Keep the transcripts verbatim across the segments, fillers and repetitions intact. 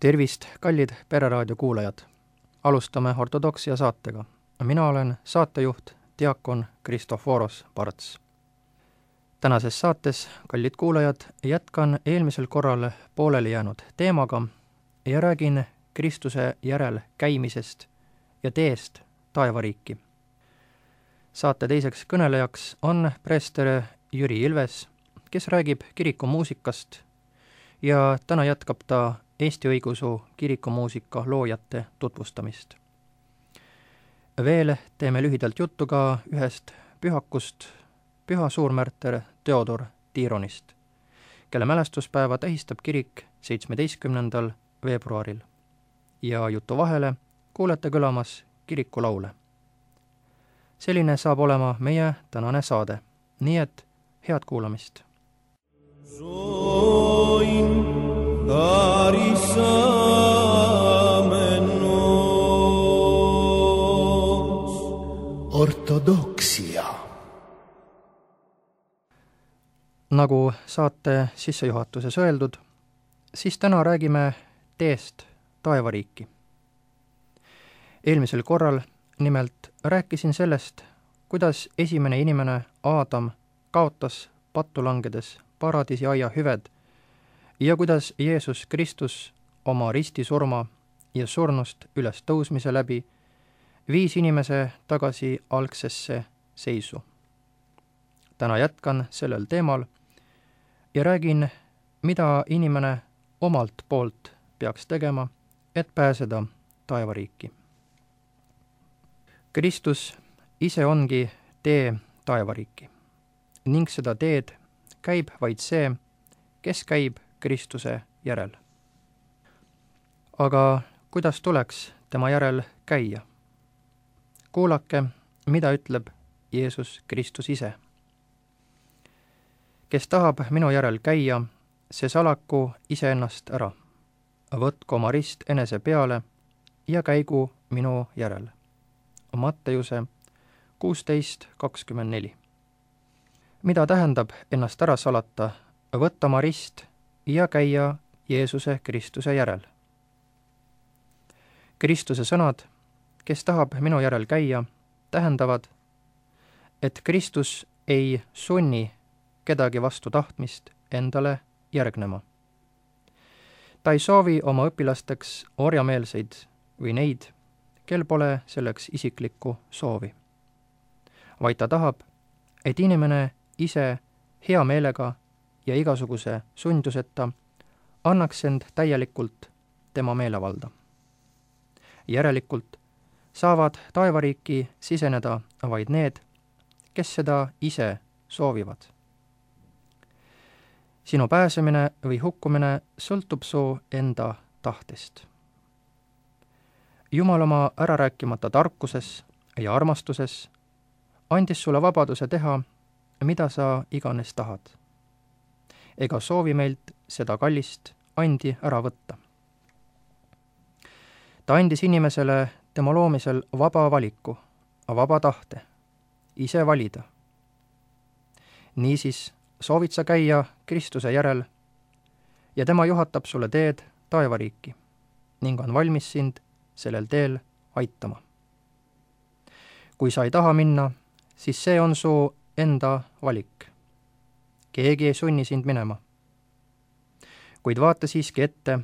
Tervist, kallid Pereraadio kuulajad! Alustame ortodoksia saatega. Mina olen saatejuht, diakon Kristoforos Parts. Tänases saates, kallid kuulajad, jätkan eelmisel korral pooleli jäänud teemaga ja räägin Kristuse järel käimisest ja teest taevariiki. Saate teiseks kõnelejaks on preester Jüri Ilves, kes räägib kirikumuusikast ja täna jätkab ta Eesti õigeusu kirikumuusika loojate tutvustamist. Veel teeme lühidalt juttu ka ühest pühakust, püha suurmärter Theodor Tironist, kelle mälestuspäeva tähistab kirik seitsmeteistkümnendal veebruaril. Ja jutu vahele kuulete kõlamas kirikulaule. Selline saab olema meie tänane saade, nii et head kuulamist. Ortodoksia. Nagu saate sissejuhatuses öeldud, siis täna räägime teest taevariiki. Eelmisel korral nimelt rääkisin sellest, kuidas esimene inimene Aadam kaotas pattu langedes paradiisi aia hüved ja kuidas Jeesus Kristus oma ristisurma ja surnust üles tõusmise läbi viis inimese tagasi algsesse seisu. Täna jätkan sellel teemal ja räägin, mida inimene omalt poolt peaks tegema, et pääseda taevariiki. Kristus ise ongi tee taevariiki ning seda teed käib vaid see, kes käib Kristuse järel. Aga kuidas tuleks tema järel käia? Kuulake, mida ütleb Jeesus Kristus ise. Kes tahab minu järel käia, see salaku iseennast ära. Võtku oma rist enese peale ja käigu minu järel. Matteuse kuusteist kakskümmend neli. Mida tähendab ennast ära salata, võtta oma rist ja käia Jeesuse Kristuse järel? Kristuse sõnad, kes tahab minu järel käia, tähendavad, et Kristus ei sunni kedagi vastu tahtmist endale järgnema. Ta ei soovi oma õpilasteks orjameelseid või neid, kel pole selleks isiklikku soovi. Vaid ta tahab, et inimene ise hea meelega ja igasuguse sunduseta annaks end täielikult tema meelevalda. Järelikult saavad taevariiki siseneda vaid need, kes seda ise soovivad. Sinu pääsemine või hukkumine sõltub su enda tahtest. Jumal oma ärarääkimata tarkuses ja armastuses andis sulle vabaduse teha, mida sa iganes tahad. Ega soovi meilt seda kallist andi ära võtta. Ta andis inimesele tema loomisel vaba valiku, vaba tahte, ise valida. Niisiis soovid sa käia Kristuse järel ja tema juhatab sulle teed taevariiki ning on valmis sind sellel teel aitama. Kui sa ei taha minna, siis see on su enda valik. Keegi ei sunni sind minema. Kuid vaata siiski ette,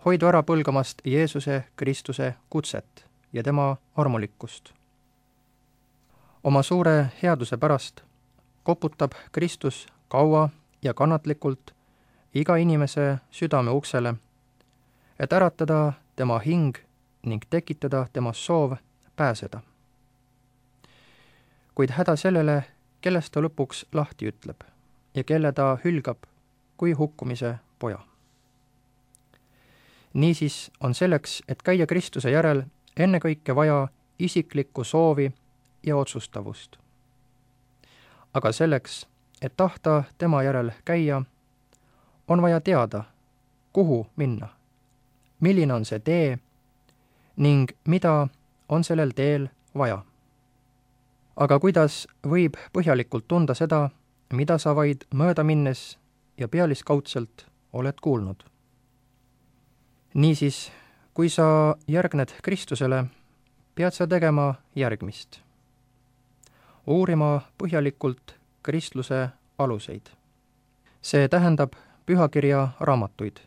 hoidu ära põlgamast Jeesuse Kristuse kutset ja tema armulikkust. Oma suure headuse pärast koputab Kristus kaua ja kannatlikult iga inimese südame uksele, et äratada tema hing ning tekitada tema soov pääseda. Kuid häda sellele, kellest ta lõpuks lahti ütleb ja kelle ta hülgab kui hukkumise poja. Niisiis on selleks, et käia Kristuse järel, ennekõike vaja isiklikku soovi ja otsustavust. Aga selleks, et tahta tema järel käia, on vaja teada, kuhu minna, milline on see tee ning mida on sellel teel vaja. Aga kuidas võib põhjalikult tunda seda, mida sa vaid mööda minnes ja pealiskaudselt oled kuulnud? niisiis, kui sa järgned Kristusele, pead sa tegema järgmist. Uurima põhjalikult kristluse aluseid. See tähendab pühakirja raamatuid,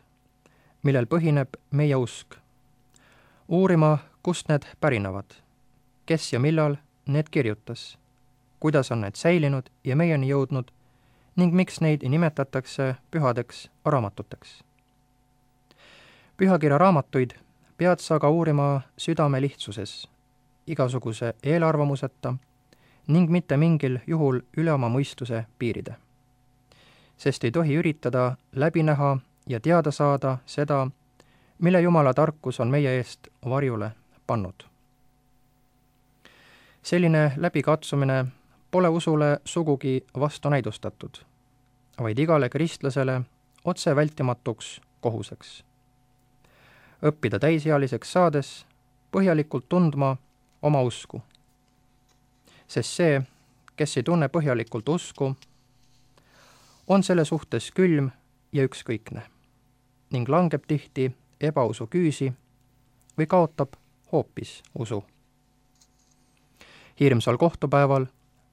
millel põhineb meie usk. Uurima, kust need pärinevad, kes ja millal need kirjutas, kuidas on need säilinud ja meieni jõudnud ning miks neid nimetatakse pühadeks raamatuteks. Pühakirja raamatuid pead sa ka uurima südame lihtsuses, igasuguse eelarvamuseta ning mitte mingil juhul üle oma mõistuse piiride. Sest ei tohi üritada läbi näha ja teada saada seda, mille Jumala tarkus on meie eest varjule pannud. Selline läbikatsumine pole usule sugugi vastunäidustatud, vaid igale kristlasele otse vältimatuks kohuseks. Õppida täisealiseks saades põhjalikult tundma oma usku. Sest see, kes ei tunne põhjalikult usku, on selle suhtes külm ja ükskõikne ning langeb tihti ebausu küüsi või kaotab hoopis usu. Hirmsal kohtupäeval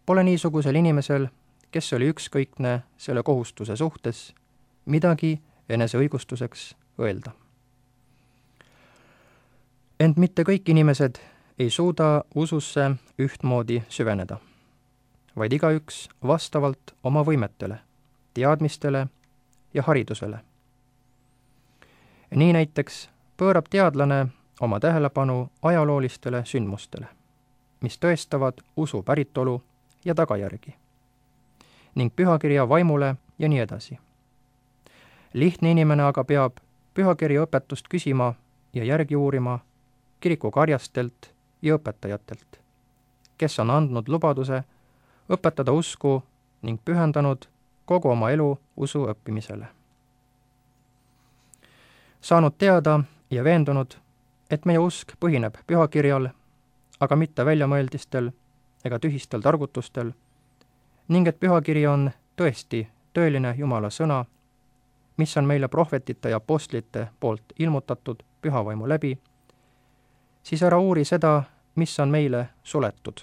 pole niisugusel inimesel, kes oli ükskõikne selle kohustuse suhtes, midagi eneseõigustuseks öelda. Ent mitte kõik inimesed ei suuda ususse ühtmoodi süveneda, vaid igaüks vastavalt oma võimetele, teadmistele ja haridusele. Nii näiteks pöörab teadlane oma tähelepanu ajaloolistele sündmustele, mis tõestavad usu päritolu ja tagajärgi, ning pühakirja vaimule ja nii edasi. Lihtne inimene aga peab pühakirja õpetust küsima ja järgi uurima kirikukarjastelt ja õpetajatelt, kes on andnud lubaduse õpetada usku ning pühendanud kogu oma elu usu õppimisele. Saanud teada ja veendunud, et meie usk põhineb pühakirjal, aga mitte väljamõeldistel ega tühistel targutustel, ning et pühakiri on tõesti tõeline Jumala sõna, mis on meile prohvetite ja apostlite poolt ilmutatud pühavaimu läbi, siis ära uuri seda, mis on meile suletud,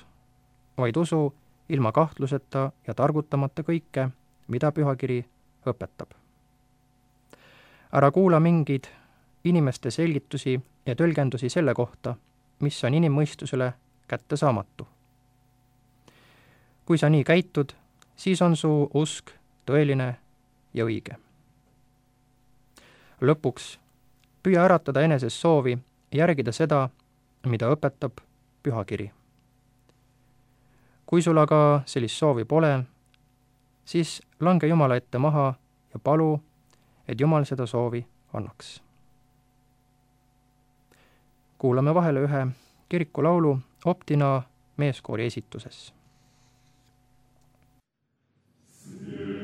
vaid usu ilma kahtluseta ja targutamata kõike, mida pühakiri õpetab. Ära kuula mingeid inimeste selgitusi ja tõlgendusi selle kohta, mis on inimmõistusele kättesaamatu. Kui sa nii käitud, siis on su usk tõeline ja õige. Lõpuks püüa äratada eneses soovi järgida seda, mida õpetab pühakiri. Kui sul aga sellist soovi pole, siis lange Jumala ette maha ja palu, et Jumal seda soovi annaks. Kuulame vahele ühe kirikulaulu Optina meeskoori esituses. Oh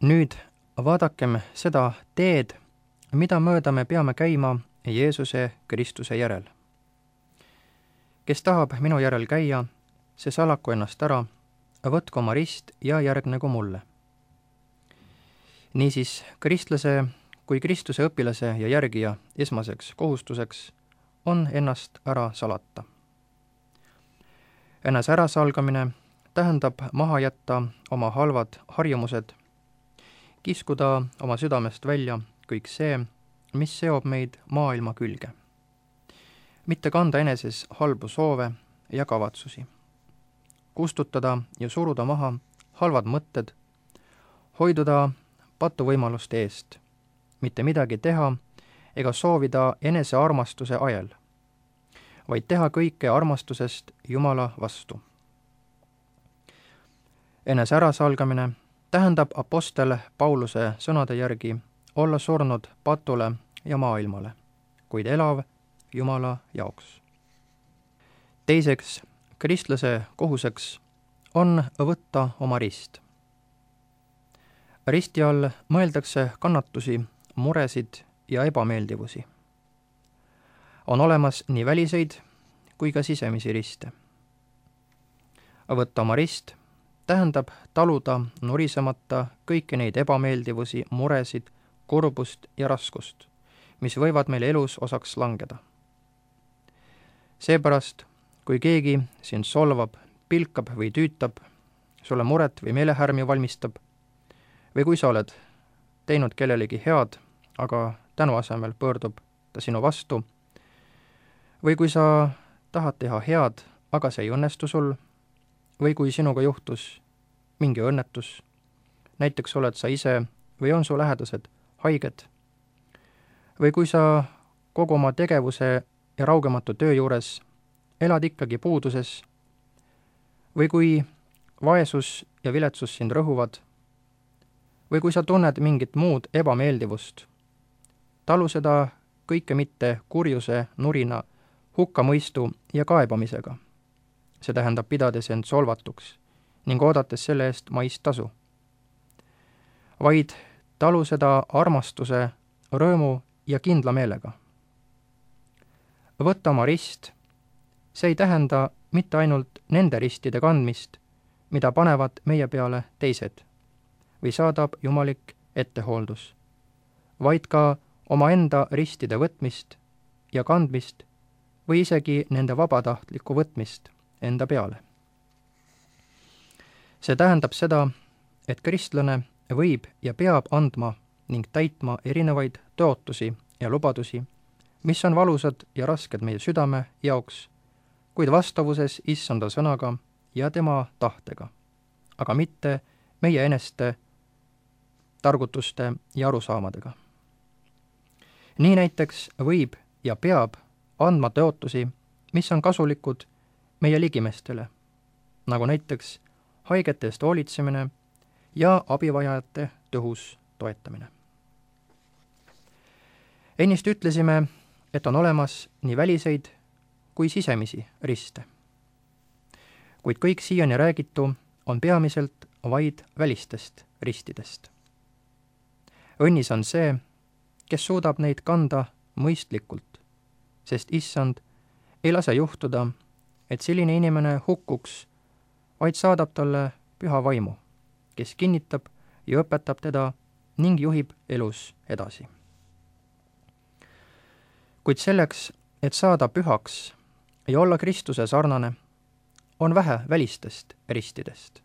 Nüüd vaadakem seda teed, mida mööda me peame käima Jeesuse Kristuse järel. Kes tahab minu järel käia, see salaku ennast ära, võtku oma rist ja järgnegu mulle. Niisiis, kristlase kui Kristuse õpilase ja järgija esmaseks kohustuseks on ennast ära salata. Ennast ärasalgamine tähendab maha jätta oma halvad harjumused, kiskuda oma südamest välja kõik see, mis seob meid maailma külge. Mitte kanda eneses halbu soove ja kavatsusi. Kustutada ja suruda maha halvad mõtted, hoiduda patuvõimaluste eest, mitte midagi teha ega soovida enese armastuse ajel, vaid teha kõike armastusest Jumala vastu. Enese ärasalgamine tähendab apostel Pauluse sõnade järgi olla surnud patule ja maailmale, kuid elav Jumala jaoks. Teiseks, kristlase kohuseks on võtta oma rist. Risti all mõeldakse kannatusi, muresid ja ebameeldivusi. On olemas nii väliseid kui ka sisemisi riste. Võtta oma rist tähendab taluda nurisemata kõiki neid ebameeldivusi, muresid, kurbust ja raskust, mis võivad meil elus osaks langeda. Seepärast, kui keegi sind solvab, pilkab või tüütab, sulle muret või meelehärmi valmistab, või kui sa oled teinud kellelegi head, aga tänu asemel pöördub ta sinu vastu, või kui sa tahad teha head, aga see ei õnnestu sul, või kui sinuga juhtus mingi õnnetus, näiteks oled sa ise või on su lähedased haiged, või kui sa kogu oma tegevuse ja raugematu töö juures elad ikkagi puuduses, või kui vaesus ja viletsus sind rõhuvad, või kui sa tunned mingit muud ebameeldivust, talu seda kõike mitte kurjuse, nurina, hukkamõistu ja kaebamisega. See tähendab pidades end solvatuks ning oodates selle eest maist tasu. Vaid talu seda armastuse, rõõmu ja kindla meelega. Võtta oma rist, see ei tähenda mitte ainult nende ristide kandmist, mida panevad meie peale teised, või saadab jumalik ettehooldus, vaid ka omaenda ristide võtmist ja kandmist või isegi nende vabatahtlikku võtmist enda peale. See tähendab seda, et kristlane võib ja peab andma ning täitma erinevaid tõotusi ja lubadusi, mis on valusad ja rasked meie südame jaoks, kuid vastavuses issanda sõnaga ja tema tahtega, aga mitte meie eneste targutuste ja arusaamadega. Nii näiteks võib ja peab andma tõotusi, mis on kasulikud meie ligimestele, nagu näiteks haigete eest hoolitsemine ja abivajajate tõhus toetamine. Ennist ütlesime, et on olemas nii väliseid kui sisemisi riste. Kuid kõik siiani räägitu on peamiselt vaid välistest ristidest. Õnnis on see, kes suudab neid kanda mõistlikult, sest issand ei lase juhtuda, et selline inimene hukkuks, vaid saadab talle püha vaimu, kes kinnitab ja õpetab teda ning juhib elus edasi. Kuid selleks, et saada pühaks ja olla Kristuse sarnane, on vähe välistest ristidest,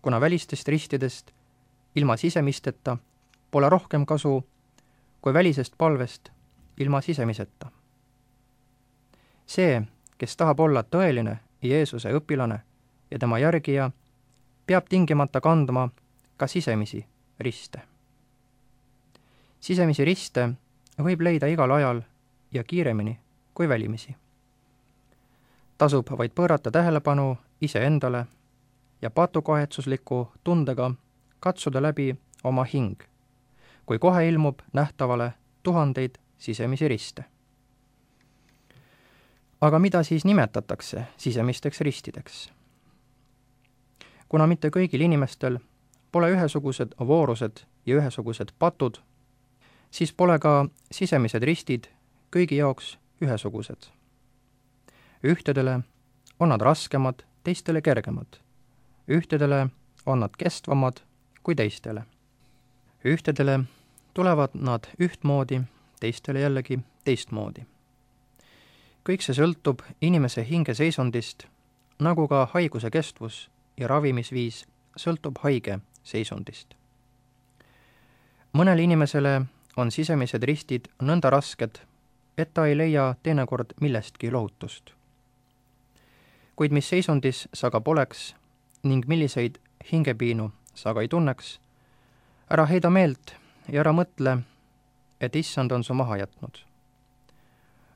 kuna välistest ristidest ilma sisemisteta pole rohkem kasu kui välisest palvest ilma sisemiseta. See, kes tahab olla tõeline Jeesuse õpilane ja tema järgija, peab tingimata kandma ka sisemisi riste. Sisemisi riste võib leida igal ajal ja kiiremini kui välimisi. Tasub vaid pöörata tähelepanu iseendale ja patukahetsusliku tundega katsuda läbi oma hing, kui kohe ilmub nähtavale tuhandeid sisemisi riste. Aga mida siis nimetatakse sisemisteks ristideks? Kuna mitte kõigil inimestel pole ühesugused voorused ja ühesugused patud, siis pole ka sisemised ristid kõigi jaoks ühesugused. Ühtedele on nad raskemad, teistele kergemad. Ühtedele on nad kestvamad kui teistele. Ühtedele tulevad nad ühtmoodi, teistele jällegi teistmoodi. Kõik see sõltub inimese hingeseisundist, nagu ka haiguse kestvus ja ravimisviis sõltub haige seisundist. Mõnele inimesele on sisemised ristid nõnda rasked, et ta ei leia teinekord millestki lohutust. Kuid mis seisundis sa ka poleks ning milliseid hingepiinu sa ka ei tunneks, ära heida meelt ja ära mõtle, et issand on su maha jätnud.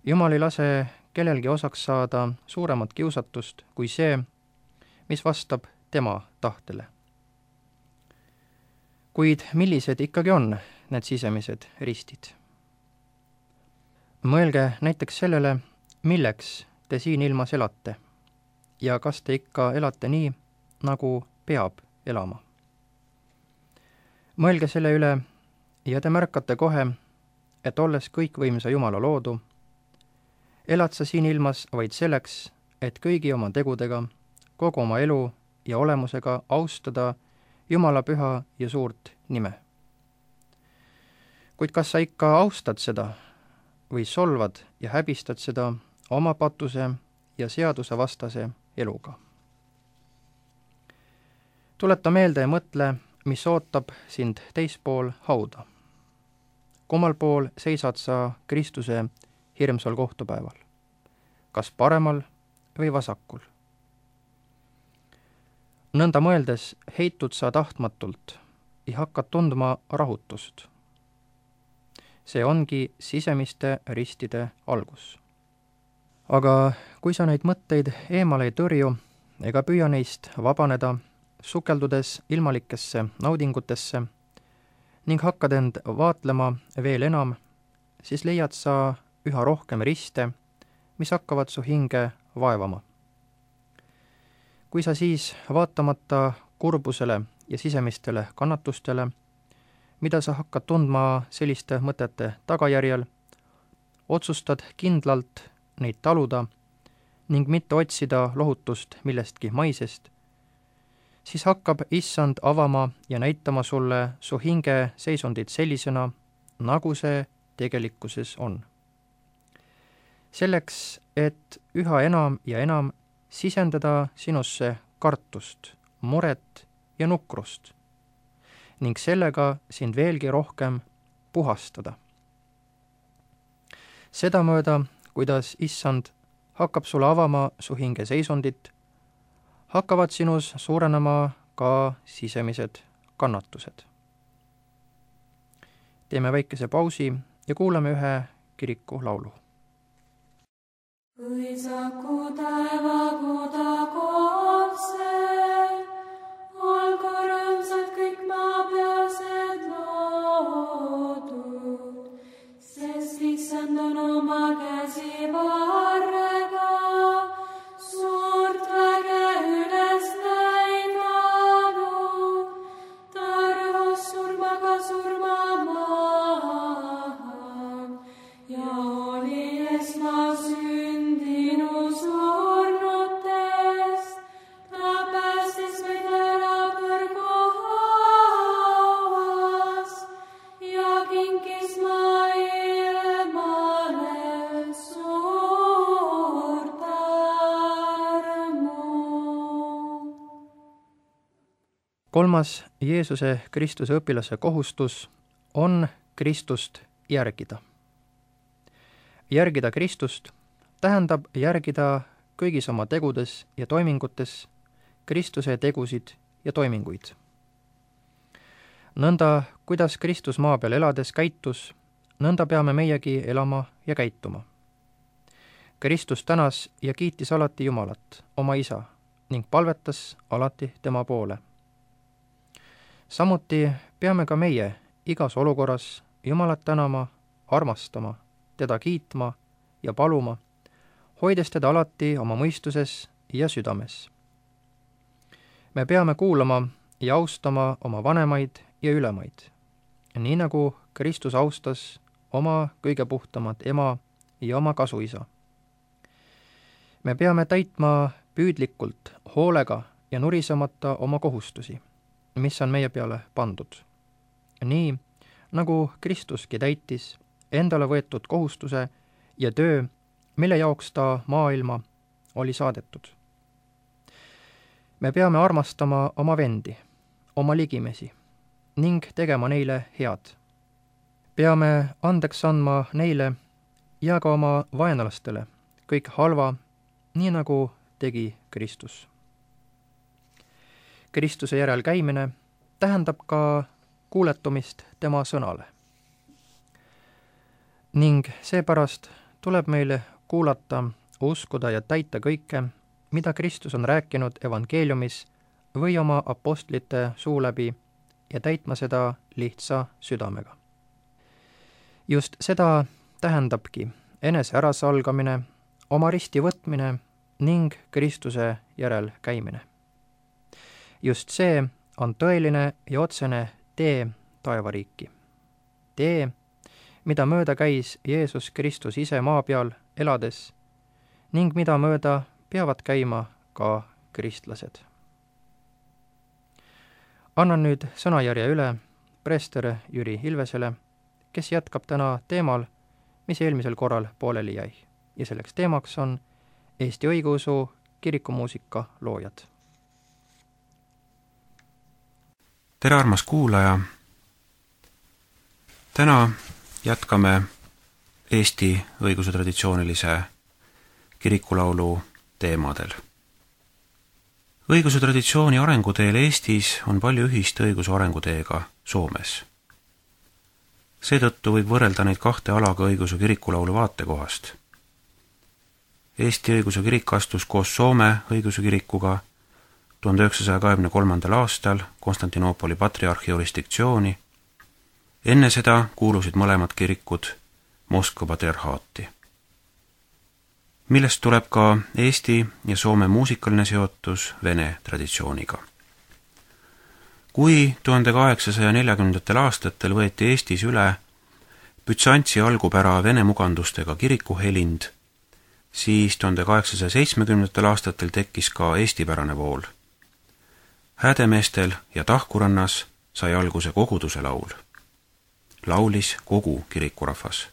Jumal ei lase kellelgi osaks saada suuremat kiusatust kui see, mis vastab tema tahtele. Kuid millised ikkagi on need sisemised ristid? Mõelge näiteks sellele, milleks te siin ilmas elate ja kas te ikka elate nii, nagu peab elama. Mõelge selle üle ja te märkate kohe, et olles kõikvõimsa Jumala loodu, elad sa siin ilmas vaid selleks, et kõigi oma tegudega, kogu oma elu ja olemusega austada Jumala püha ja suurt nime. Kuid kas sa ikka austad seda või solvad ja häbistad seda oma patuse ja seaduse vastase eluga? Tuleta meelde ja mõtle, mis ootab sind teispool hauda. Kummal pool seisad sa Kristuse hirmsal kohtupäeval? Kas paremal või vasakul? Nõnda mõeldes heitud sa tahtmatult ja hakkad tundma rahutust. See ongi sisemiste ristide algus. Aga kui sa neid mõtteid eemale ei tõrju ega püüa neist vabaneda, sukeldudes ilmalikesse naudingutesse ning hakkad end vaatlema veel enam, siis leiad sa üha rohkem riste, mis hakkavad su hinge vaevama. Kui sa siis vaatamata kurbusele ja sisemistele kannatustele, mida sa hakkad tundma selliste mõtete tagajärjel, otsustad kindlalt neid taluda ning mitte otsida lohutust millestki maisest, siis hakkab issand avama ja näitama sulle su hinge seisundit sellisena, nagu see tegelikkuses on. Selleks, et üha enam ja enam sisendada sinusse kartust, muret ja nukrust ning sellega sind veelgi rohkem puhastada. Sedamööda, kuidas issand hakkab sulle avama su hinge seisundit, hakkavad sinus suurenema ka sisemised kannatused. Teeme väikese pausi ja kuulame ühe kiriku laulu. Õisaku taevagu tagotse, olgu rõõmsad kõik maapealsed loodud, sest issand on oma käsi varrega suurt väge üles näidanud, ta rõhus surmaga surma maha ja oli esma sündinu surnutest, ta päästis meid ära põrguhauas ja kinkis maailmale suurt armu. Kolmas Jeesuse Kristuse õpilase kohustus on Kristust järgida. Järgida Kristust tähendab järgida kõigis oma tegudes ja toimingutes Kristuse tegusid ja toiminguid. Nõnda, kuidas Kristus maa peal elades käitus, nõnda peame meiegi elama ja käituma. Kristus tänas ja kiitis alati Jumalat, oma isa, ning palvetas alati tema poole. Samuti peame ka meie igas olukorras Jumalat tänama, armastama, teda kiitma ja paluma, hoides teda alati oma mõistuses ja südames. Me peame kuulama ja austama oma vanemaid ja ülemaid, nii nagu Kristus austas oma kõige puhtamat ema ja oma kasuisa. Me peame täitma püüdlikult, hoolega ja nurisemata oma kohustusi, mis on meie peale pandud. Nii, nagu Kristuski täitis endale võetud kohustuse ja töö, mille jaoks ta maailma oli saadetud. Me peame armastama oma vendi, oma ligimesi ning tegema neile head. Peame andeks andma neile ja ka oma vaenlastele kõik halva, nii nagu tegi Kristus. Kristuse järel käimine tähendab ka kuuletumist tema sõnale. Ning seepärast tuleb meile kuulata, uskuda ja täita kõike, mida Kristus on rääkinud evangeeliumis või oma apostlite suu läbi ja täitma seda lihtsa südamega. Just seda tähendabki enese ärasalgamine, oma risti võtmine ning Kristuse järel käimine. Just see on tõeline ja otsene tee taevariiki. Tee, mida mööda käis Jeesus Kristus ise maa peal elades ning mida mööda peavad käima ka kristlased. Annan nüüd sõnajärje üle preester Jüri Ilvesele, kes jätkab täna teemal, mis eelmisel korral pooleli jäi. Ja selleks teemaks on Eesti õigeusu kirikumuusika loojad. Tere, armas kuulaja! Täna jätkame Eesti õiguse traditsioonilise kirikulaulu teemadel. Õiguse traditsiooni arenguteel Eestis on palju ühist õiguse arenguteega Soomes. Seetõttu võib võrrelda neid kahte alaga õiguse kirikulaulu vaatekohast. Eesti õiguse kirik astus koos Soome õiguse kirikuga tuhande üheksasaja kahekümne kolmandal aastal Konstantinoopoli patriarhi jurisdiktsiooni. Enne seda kuulusid mõlemad kirikud Moskva patriarhaati, millest tuleb ka Eesti ja Soome muusikaline seotus vene traditsiooniga. Kui tuhande kaheksasaja neljakümnendatel aastatel võeti Eestis üle Bütsantsi algupära vene mugandustega kirikuhelind, siis tuhande kaheksasaja seitsmekümnendatel aastatel tekkis ka eestipärane vool. Häädemeestel ja Tahkurannas sai alguse koguduse laul. Laulis kogu kirikurahvas.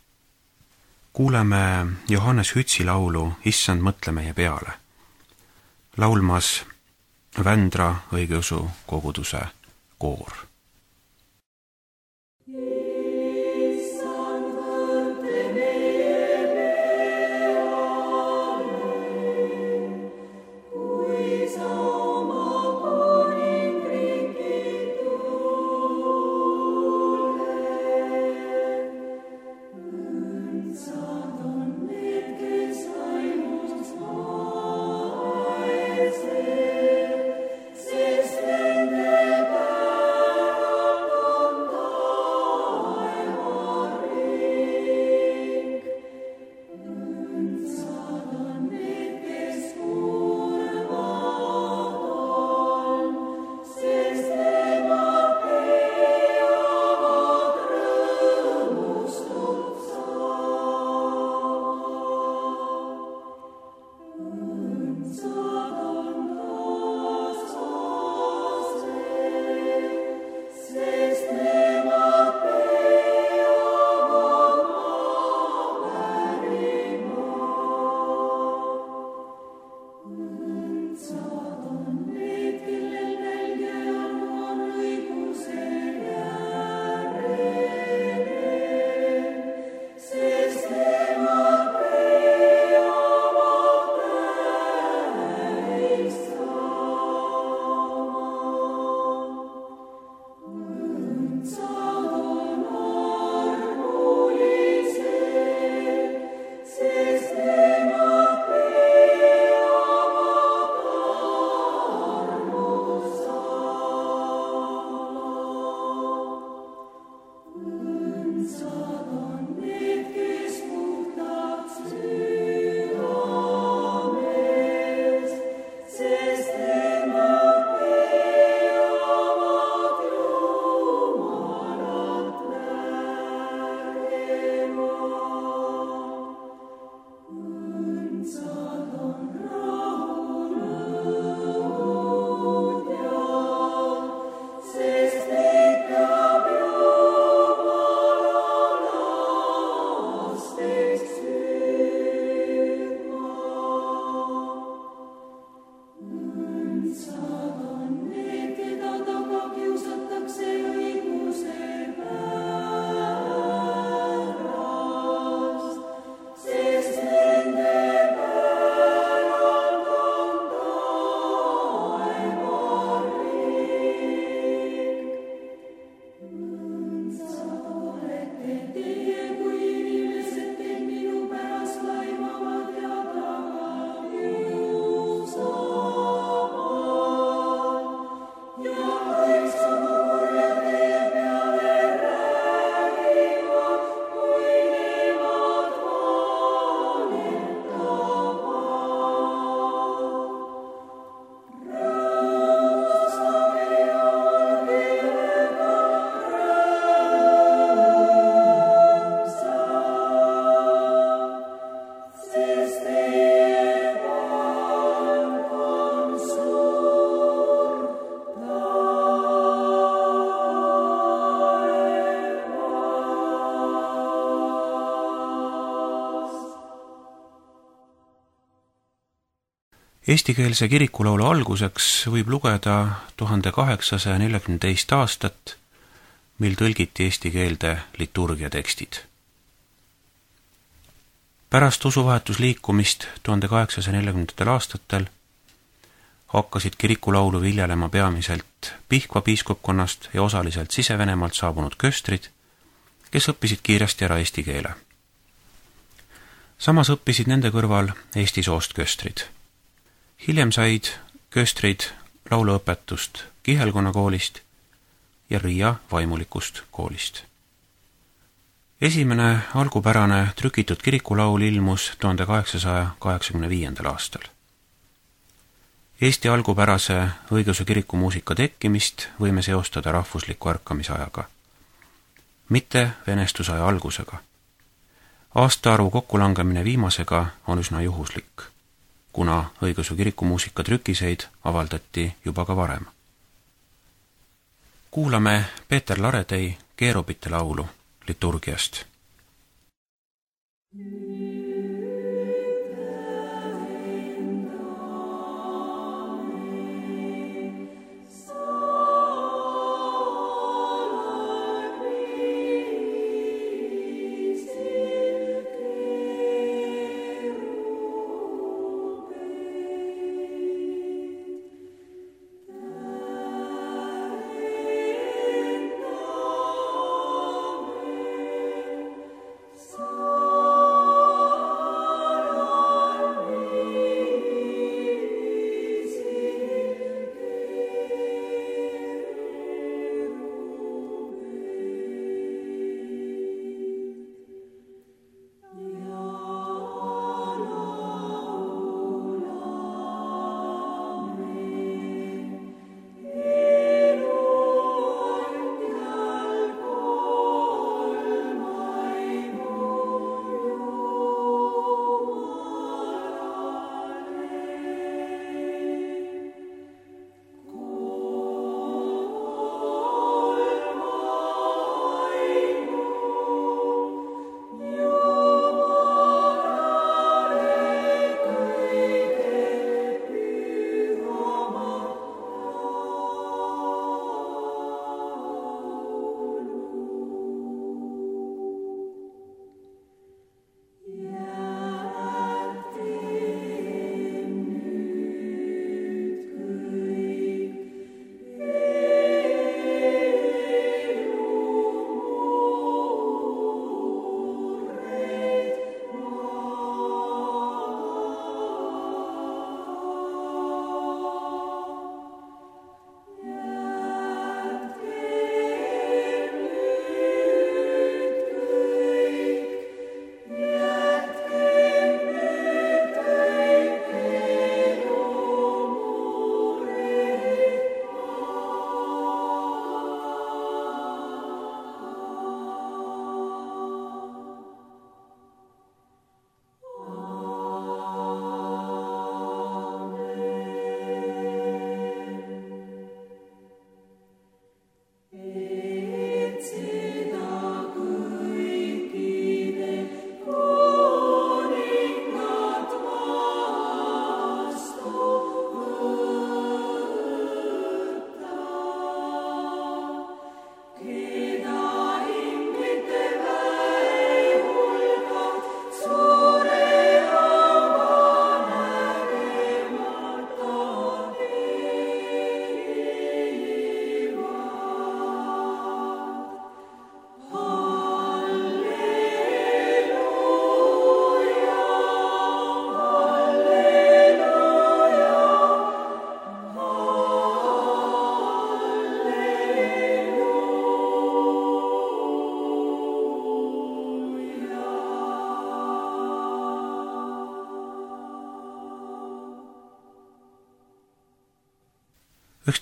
Kuuleme Johannes Hütsi laulu Issand, mõtle meie peale. Laulmas Vändra õigeusu koguduse koor. Sest nende Eestikeelse kirikulaulu alguseks võib lugeda tuhande kaheksasaja neljakümne teist aastat, mil tõlgiti eesti keelde liturgia tekstid. Pärast usuvahetusliikumist tuhande kaheksasaja neljakümnendatel aastatel hakkasid kirikulaulu viljelema peamiselt Pihkva piiskopkonnast ja osaliselt Sise-Venemaalt saabunud köstrid, kes õppisid kiiresti ära eesti keele. Samas õppisid nende kõrval eesti soost köstrid. Hiljem said köstrid lauluõpetust Kihelkonna koolist ja Riia vaimulikust koolist. Esimene algupärane trükitud kirikulaul ilmus tuhande kaheksasaja kaheksakümne viiendal aastal. Eesti algupärase õigeusu kiriku muusika tekkimist võime seostada rahvusliku ärkamisajaga, mitte venestusaja algusega. Aastaarvu kokkulangemine viimasega on üsna juhuslik, kuna õigeusu kiriku muusika trükiseid avaldati juba ka varem. Kuulame Peeter Laretei Keerubite laulu liturgiast.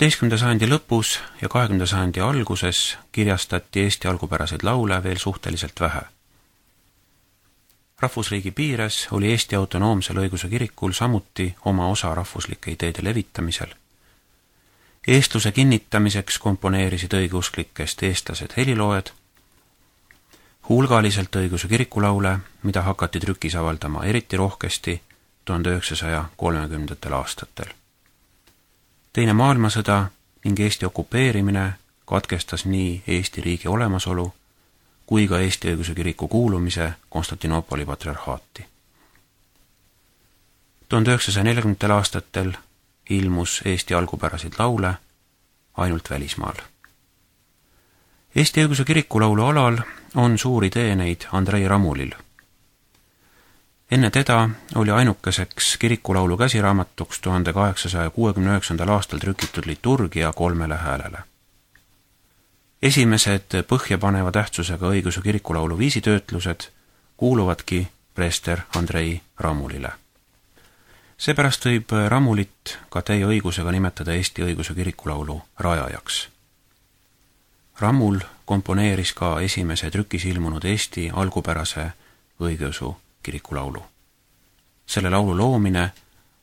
üheksateistkümnenda sajandi lõpus ja kahekümnenda sajandi alguses kirjastati Eesti algupäraseid laule veel suhteliselt vähe. Rahvusriigi piires oli Eesti autonoomsel õigeusu kirikul samuti oma osa rahvuslike ideede levitamisel. Eestluse kinnitamiseks komponeerisid õigeusklikest eestlased heliloojad, hulgaliselt õigeusu kirikulaule, mida hakati trükis avaldama eriti rohkesti tuhande üheksasaja kolmekümnendatel aastatel. Teine maailmasõda ning Eesti okupeerimine katkestas nii Eesti riigi olemasolu kui ka Eesti Õigeusu Kiriku kuulumise Konstantinoopoli patriarhaati. tuhande üheksasaja neljakümnendatel aastatel ilmus Eesti algupäraseid laule ainult välismaal. Eesti Õigeusu Kiriku laulu alal on suuri teeneid Andrei Ramulil. Enne teda oli ainukeseks kirikulaulu käsiraamatuks tuhande kaheksasaja kuuekümne üheksandal aastal trükitud liturgia kolmele häälele. Esimesed põhjapaneva tähtsusega õigeusu kirikulaulu viisitöötlused kuuluvadki preester Andrei Ramulile. Seepärast võib Ramulit ka täie õigusega nimetada Eesti õigeusu kirikulaulu rajajaks. Ramul komponeeris ka esimese trükis ilmunud Eesti algupärase õigeusu kirikulaulu. Selle laulu loomine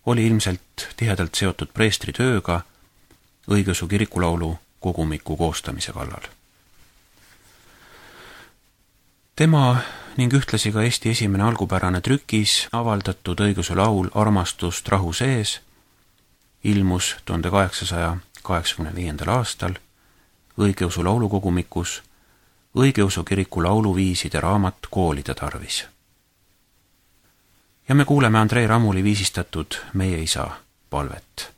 oli ilmselt tihedalt seotud preestri tööga õigeusu kirikulaulu kogumiku koostamise kallal. Tema ning ühtlasi ka Eesti esimene algupärane trükis avaldatud õigeusu laul Armastust rahu sees ilmus tuhande kaheksasaja kaheksakümne viiendal aastal õigeusu laulukogumikus õigeusu kiriku lauluviiside raamat koolide tarvis. Ja me kuuleme Andrei Ramuli viisistatud Meie isa palvet.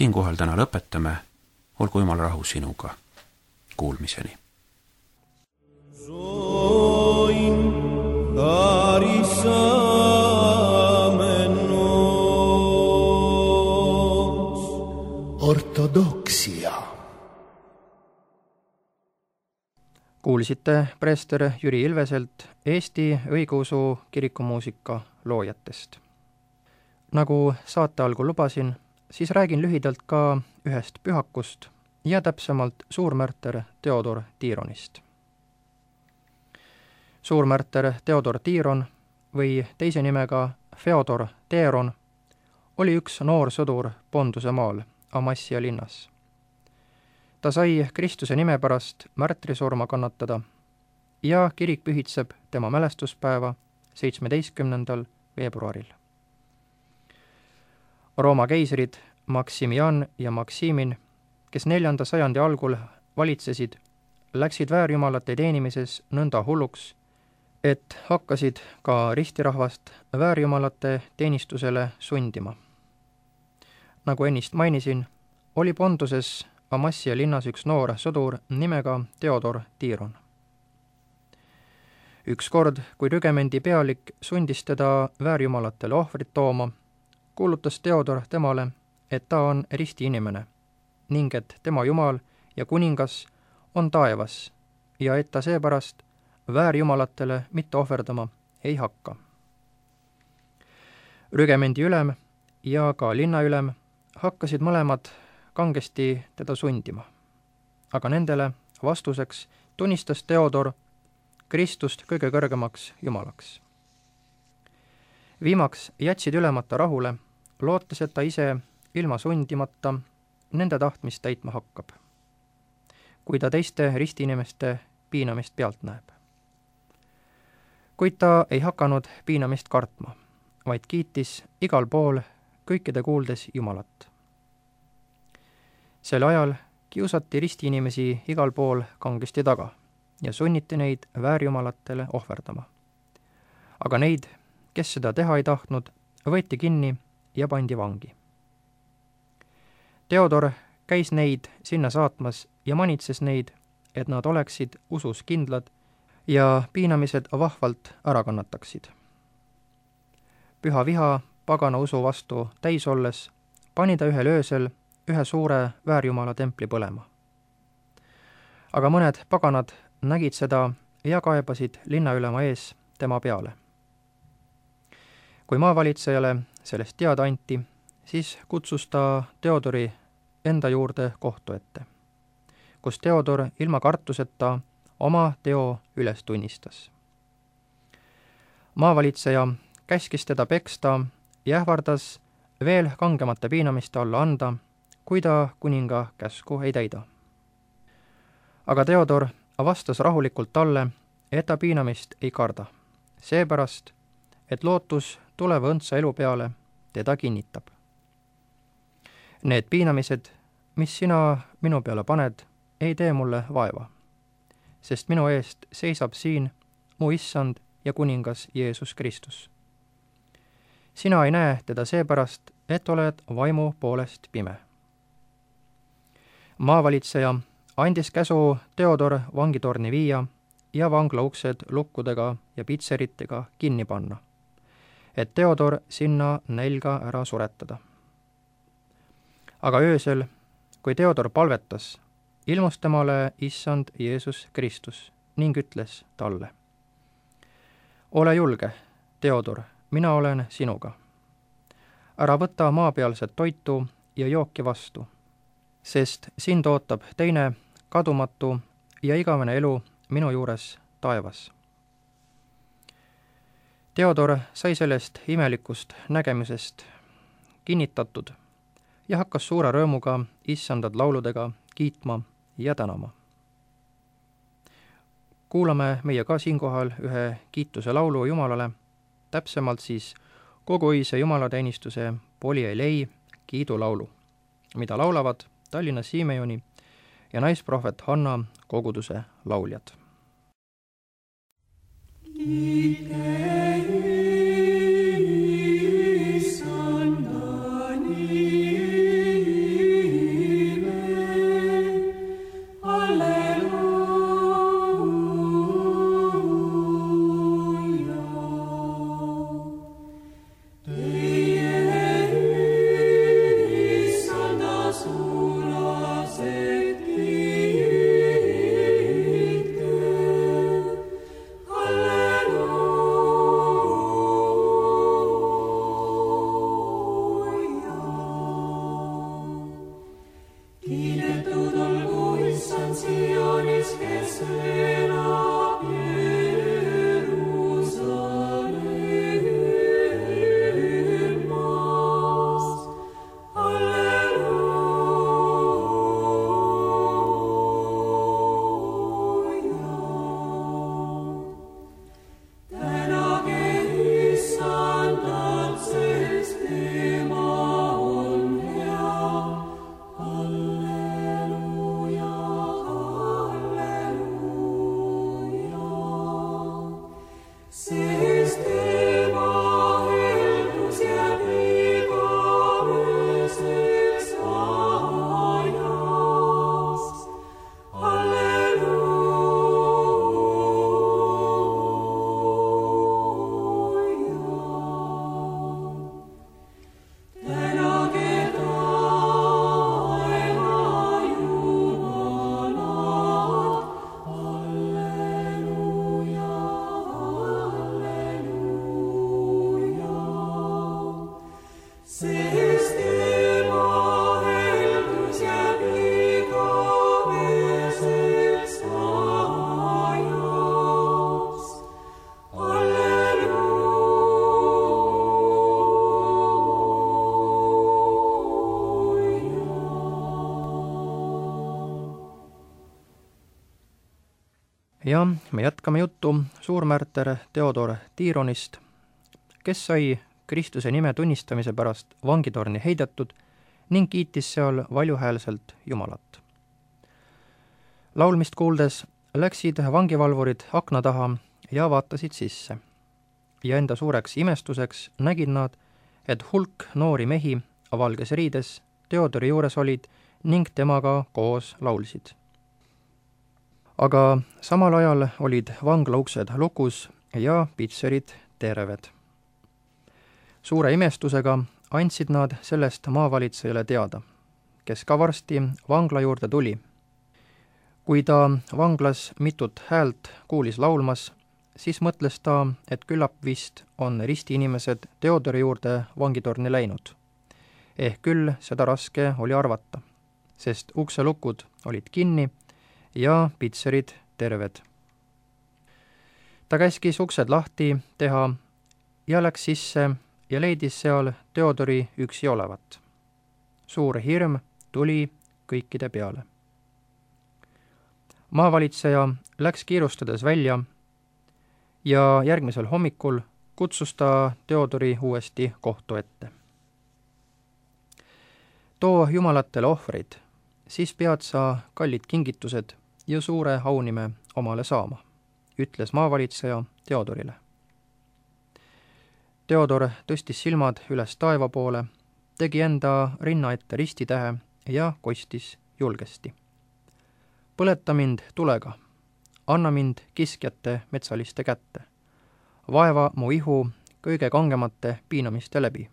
Siinkohal täna lõpetame, olgu Jumal rahu sinuga. Kuulmiseni. Ortodoksia. Kuulsite preester Jüri Ilveselt Eesti õigeusu kirikumuusika loojatest. Nagu saate algul lubasin, siis räägin lühidalt ka ühest pühakust ja täpsemalt suurmärter Theodor Tironist. Suurmärter Theodor Tiron või teise nimega Feodor Teron oli üks noor sõdur Ponduse maal Amassia linnas. Ta sai Kristuse nime pärast märtrisurma kannatada ja kirik pühitseb tema mälestuspäeva seitsmeteistkümnendal veebruaril. Rooma keisrid Maximian ja Maximin, kes neljanda sajandi algul valitsesid, läksid väärjumalate teenimises nõnda hulluks, et hakkasid ka ristirahvast väärjumalate teenistusele sundima. Nagu ennist mainisin, oli Ponduses Amassia linnas üks noor sõdur nimega Theodor Tiron. Ükskord, kui rügemendi pealik sundis teda väärjumalatele ohvrit tooma, kuulutas Theodor temale, et ta on risti inimene ning et tema jumal ja kuningas on taevas ja et ta seepärast väärjumalatele mitte ohverdama ei hakka. Rügemendi ülem ja ka linnaülem hakkasid mõlemad kangesti teda sundima, aga nendele vastuseks tunnistas Theodor Kristust kõige kõrgemaks jumalaks. Viimaks jätsid ülemata rahule, lootes, et ta ise ilma sundimata nende tahtmist täitma hakkab, kui ta teiste ristiinimeste piinamist pealt näeb. Kuid ta ei hakanud piinamist kartma, vaid kiitis igal pool kõikide kuuldes Jumalat. Sel ajal kiusati ristiinimesi igal pool kangesti taga ja sunniti neid väärjumalatele ohverdama. Aga neid, kes seda teha ei tahtnud, võeti kinni ja pandi vangi. Theodor käis neid sinna saatmas ja manitses neid, et nad oleksid usus kindlad ja piinamised vahvalt ära kannataksid. Püha viha pagana usu vastu täis olles pani ta ühel öösel ühe suure väärjumala templi põlema. Aga mõned paganad nägid seda ja kaebasid linnaülema ees tema peale. Kui maavalitsejale sellest teada anti, siis kutsus ta Theodori enda juurde kohtu ette, kus Theodor ilma kartuseta oma teo üles tunnistas. Maavalitseja käskis teda peksta ja ähvardas veel kangemate piinamiste alla anda, kui ta kuninga käsku ei täida. Aga Theodor vastas rahulikult talle, et ta piinamist ei karda, seepärast, et lootus tuleva õndsa elu peale teda kinnitab. Need piinamised, mis sina minu peale paned, ei tee mulle vaeva, sest minu eest seisab siin mu issand ja kuningas Jeesus Kristus. Sina ei näe teda seepärast, et oled vaimu poolest pime. Maavalitseja andis käsu Theodor vangitorni viia ja vangla uksed lukkudega ja pitseritega kinni panna, et Theodor sinna nälga ära suretada. Aga öösel, kui Theodor palvetas, ilmus temale issand Jeesus Kristus ning ütles talle: ole julge, Theodor, mina olen sinuga. Ära võta maapealset toitu ja jooki vastu, sest sind ootab teine kadumatu ja igavene elu minu juures taevas. Theodor sai sellest imelikust nägemisest kinnitatud ja hakkas suure rõõmuga issandad lauludega kiitma ja tänama. Kuulame meie ka siinkohal ühe kiituse laulu Jumalale, täpsemalt siis kogu öise jumalateenistuse Polielei kiidulaulu, mida laulavad Tallinna Siimejoni ja naisprohvet Hanna koguduse lauljad. Alleluia. ja me jätkame juttu suurmärter Theodor Tironist, kes sai Kristuse nime tunnistamise pärast vangitorni heidetud ning kiitis seal valjuhäälselt Jumalat. Laulmist kuuldes läksid vangivalvurid akna taha ja vaatasid sisse. Ja enda suureks imestuseks nägid nad, et hulk noori mehi valges riides Theodori juures olid ning temaga koos laulsid. Aga samal ajal olid vangla uksed lukus ja pitserid terved. Suure imestusega andsid nad sellest maavalitsejale teada, kes ka varsti vangla juurde tuli. Kui ta vanglas mitut häält kuulis laulmas, siis mõtles ta, et küllap vist on ristiinimesed Theodori juurde vangitorni läinud. Ehk küll seda raske oli arvata, sest ukselukud olid kinni ja pitserid terved. Ta käskis uksed lahti teha ja läks sisse ja leidis seal Theodori üksi olevat. Suur hirm tuli kõikide peale. Maavalitseja läks kiirustades välja ja järgmisel hommikul kutsus ta Theodori uuesti kohtu ette. Too jumalatele ohvreid, siis pead sa kallid kingitused ja suure aunime omale saama, ütles maavalitseja Theodorile. Theodor tõstis silmad üles taeva poole, tegi enda rinna ette ristitähe ja kostis julgesti. Põleta mind tulega, anna mind kiskjate metsaliste kätte, vaeva mu ihu kõige kangemate piinamiste läbi.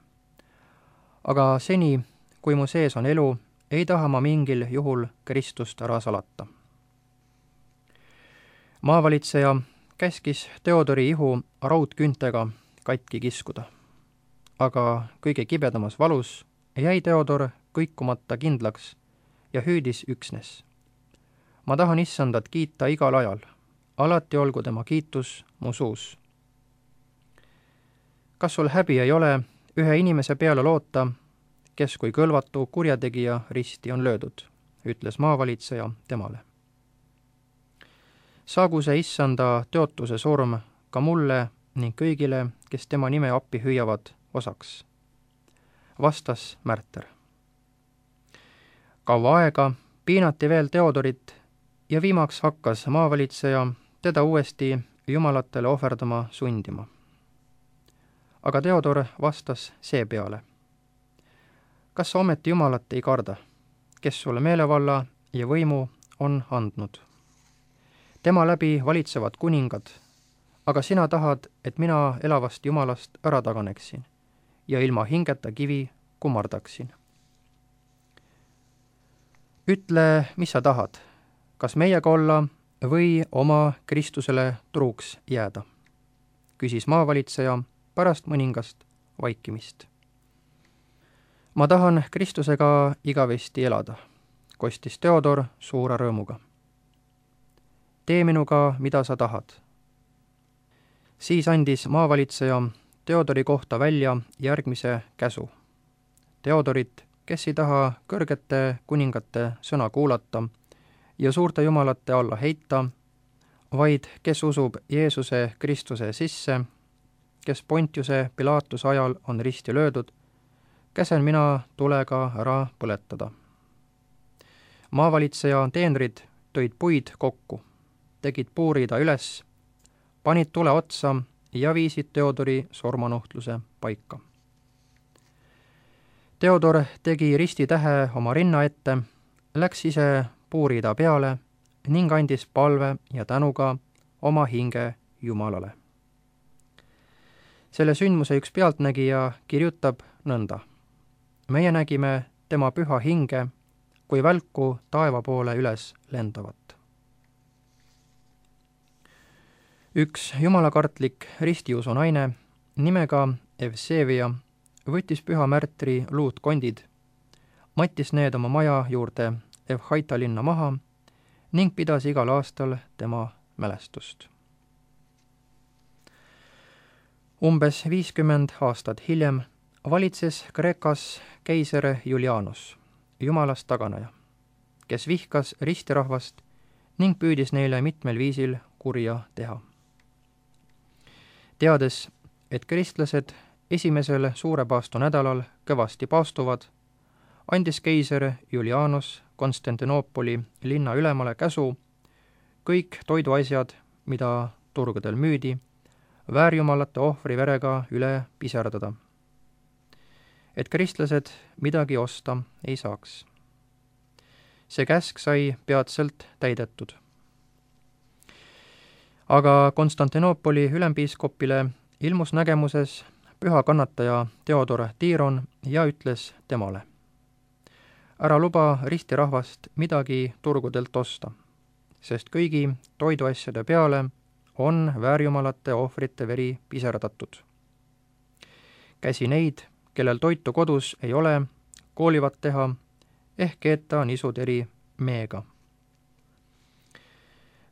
Aga seni, kui mu sees on elu, ei taha ma mingil juhul Kristust ära salata. Maavalitseja käskis Theodori ihu raudküntega katki kiskuda. Aga kõige kibedamas valus jäi Theodor kõikumata kindlaks ja hüüdis üksnes. Ma tahan issandat kiita igal ajal, alati olgu tema kiitus mu suus. Kas sul häbi ei ole ühe inimese peale loota, kes kui kõlvatu kurjategija risti on löödud, ütles maavalitseja temale. Saagu see issanda teotuse surm ka mulle ning kõigile, kes tema nime appi hüüavad, osaks. Vastas märter. Kaua aega piinati veel Theodorit ja viimaks hakkas maavalitseja teda uuesti jumalatele ohverdama sundima. Aga Theodor vastas seepeale. Kas sa ometi jumalat ei karda, kes sulle meelevalla ja võimu on andnud? Tema läbi valitsevad kuningad, aga sina tahad, et mina elavast jumalast ära taganeksin ja ilma hingeta kivi kummardaksin. Ütle, mis sa tahad, kas meiega olla või oma Kristusele truuks jääda, küsis maavalitseja pärast mõningast vaikimist. Ma tahan Kristusega igavesti elada, kostis Theodor suure rõõmuga. Tee minuga, mida sa tahad. Siis andis maavalitseja Theodori kohta välja järgmise käsu. Theodorit, kes ei taha kõrgete kuningate sõna kuulata ja suurte jumalate alla heita, vaid kes usub Jeesuse Kristuse sisse, kes Pontiuse Pilaatuse ajal on risti löödud, käsen mina tulega ära põletada. Maavalitseja teenrid tõid puid kokku, tegid puuriida üles, panid tule otsa ja viisid Theodori surmanuhtluse paika. Theodor tegi ristitähe oma rinna ette, läks ise puuriida peale ning andis palve ja tänuga oma hinge Jumalale. Selle sündmuse üks pealtnägija kirjutab nõnda. Meie nägime tema püha hinge, kui välku taeva poole üles lendavat. Üks jumalakartlik ristiusu naine nimega Evsevia võttis püha märtri luutkondid, mattis need oma maja juurde Evhaita linna maha ning pidas igal aastal tema mälestust. Umbes viiskümmend aastat hiljem valitses Kreekas keiser Julianus, jumalast taganeja, kes vihkas ristirahvast ning püüdis neile mitmel viisil kurja teha. Teades, et kristlased esimesel suure paastu nädalal kõvasti paastuvad, andis keiser Julianus Konstantinoopoli linna ülemale käsu kõik toiduasjad, mida turgudel müüdi, väärjumalate ohvri verega üle piserdada, et kristlased midagi osta ei saaks. See käsk sai peatselt täidetud. Aga Konstantinoopoli ülempiiskopile ilmus nägemuses püha kannataja Theodor Tiron ja ütles temale: ära luba ristirahvast midagi turgudelt osta, sest kõigi toiduasjade peale on väärjumalate ohvrite veri piserdatud. Käsi neid, kellel toitu kodus ei ole, koolivad teha, ehk keeta nisud eri meega.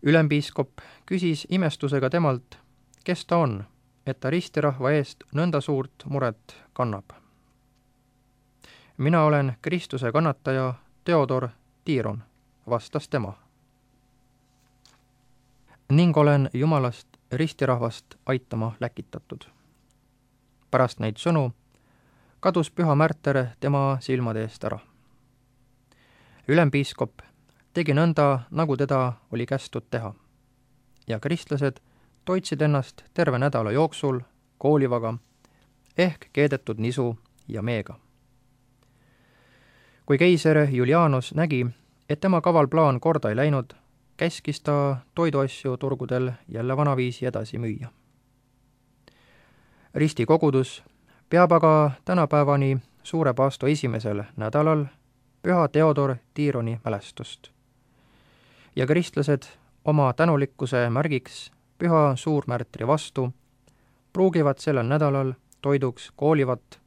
Ülempiiskop küsis imestusega temalt, kes ta on, et ta ristirahva eest nõnda suurt muret kannab. mina olen Kristuse kannataja Theodor Tiron, vastas tema. ning olen Jumalast ristirahvast aitama läkitatud. Pärast neid sõnu kadus püha märter tema silmade eest ära. Ülempiiskop tegi nõnda, nagu teda oli kästud teha, ja kristlased toitsid ennast terve nädala jooksul koolivaga ehk keedetud nisu ja meega. Kui keiser Julianus nägi, et tema kaval plaan korda ei läinud, käskis ta toiduasju turgudel jälle vanaviisi edasi müüa. Ristikogudus peab aga tänapäevani suure paastu esimesel nädalal püha Theodor Tironi mälestust. Ja kristlased oma tänulikkuse märgiks püha suurmärtri vastu pruugivad sellel nädalal toiduks koolivat,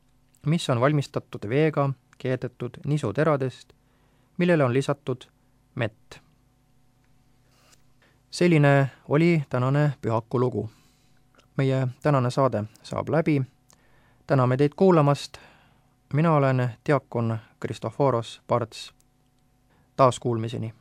mis on valmistatud veega keedetud nisuteradest, millele on lisatud mett. Selline oli tänane pühaku lugu. Meie tänane saade saab läbi. Täname teid kuulamast. Mina olen diakon Kristoforos Parts. Taas kuulmiseni.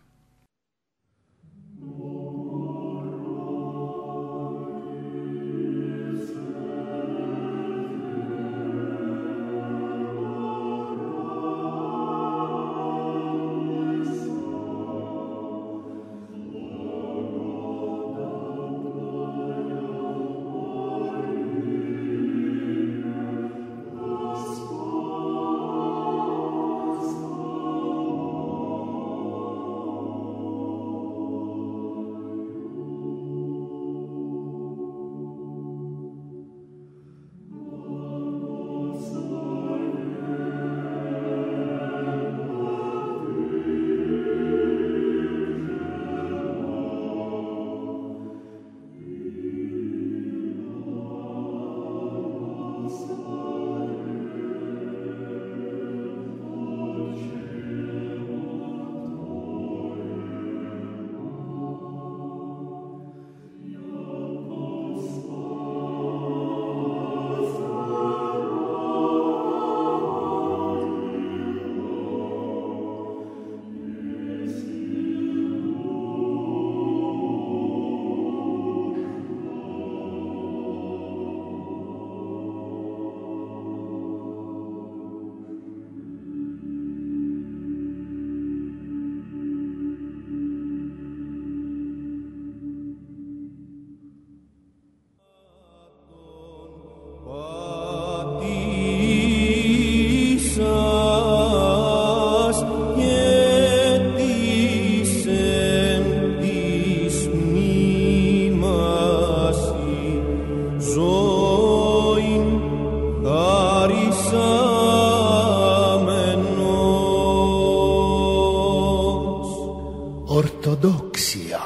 Ortodoksia.